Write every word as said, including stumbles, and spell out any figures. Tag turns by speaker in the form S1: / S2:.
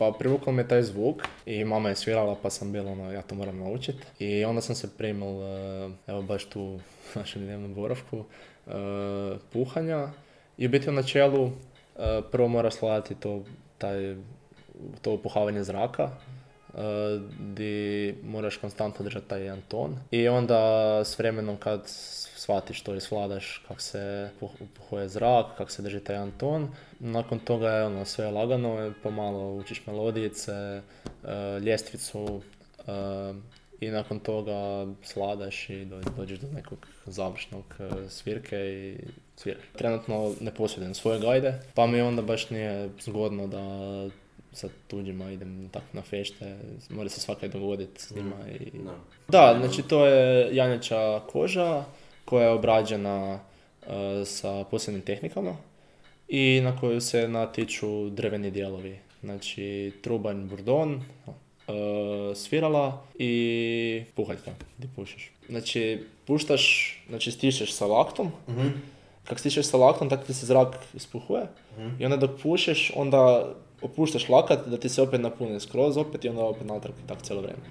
S1: Pa privukao me taj zvuk i mama je svirala pa sam bio ono, ja to moram naučiti. I onda sam se primil, evo baš tu u našem dnevnom boravku, uh, puhanja. I u biti u načelu uh, prvo mora sladati to, taj, to upuhavanje zraka, uh, di moraš konstantno držati taj jedan ton. I onda s vremenom kad shvatiš to i svladaš kako se upuhuje zrak, kako se drži taj jedan ton, nakon toga je ono sve lagano, pomalo učiš melodijice, uh, ljestvicu, uh, i nakon toga sladaš i dođeš do nekog završnog uh, svirke i sviraš. Trenutno ne posjedujem svoje gajde, pa mi onda baš nije zgodno da sa tuđima idem tako na fešte, mora se svakaj dogoditi s njima. I... No. Da, znači to je janjača koža koja je obrađena uh, sa posebnim tehnikama i na koju se natiču drveni dijelovi. Znači trubanj, burdon, uh, svirala i puhaljka gdje pušiš. Znači puštaš, znači stišeš sa laktom, mm-hmm. Kako stišeš sa laktom, tako ti se zrak ispuhuje, mm-hmm. I onda dok pušeš, onda opuštaš lakat da ti se opet napuni skroz opet i onda opet natrag i tako cijelo vrijeme.